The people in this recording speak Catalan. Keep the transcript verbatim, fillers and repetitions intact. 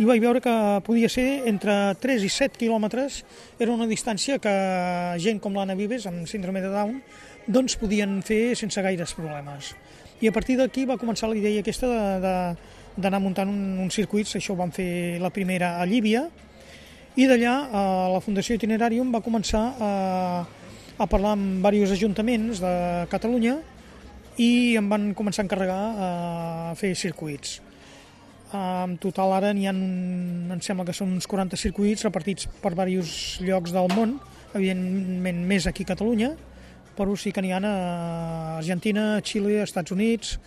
i vaig veure que podia ser entre tres i set quilòmetres, era una distància que gent com l'Anna Vives, amb síndrome de Down, doncs podien fer sense gaires problemes. I a partir d'aquí va començar la idea aquesta d'anar muntant un, uns circuits, això ho vam fer la primera a Llívia, i d'allà la Fundació Itinerarium va començar a, a parlar amb diversos ajuntaments de Catalunya i em van començar a encarregar a fer circuits. En total ara n'hi ha, em sembla que són uns quaranta circuits repartits per diversos llocs del món, evidentment més aquí a Catalunya, però sí que n'hi ha a Argentina, Xile, Estats Units.